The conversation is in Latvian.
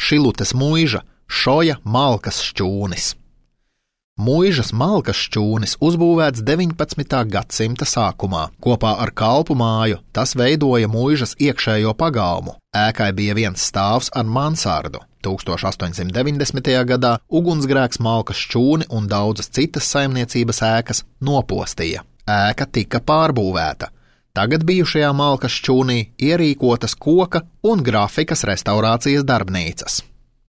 Šilutes muiža Šoja malkas šķūnis. Muižas malkas šķūnis uzbūvēts 19. gadsimta sākumā. Kopā ar kalpu māju tas veidoja muižas iekšējo pagalmu. Ēkai bija viens stāvs ar mansardu. 1890. gadā ugunsgrēks malkas šķūni un daudzas citas saimniecības ēkas nopostīja. Ēka tika pārbūvēta. Tagad bijušajā malkas šķūnī ierīkotas koka un grafikas restaurācijas darbnīcas.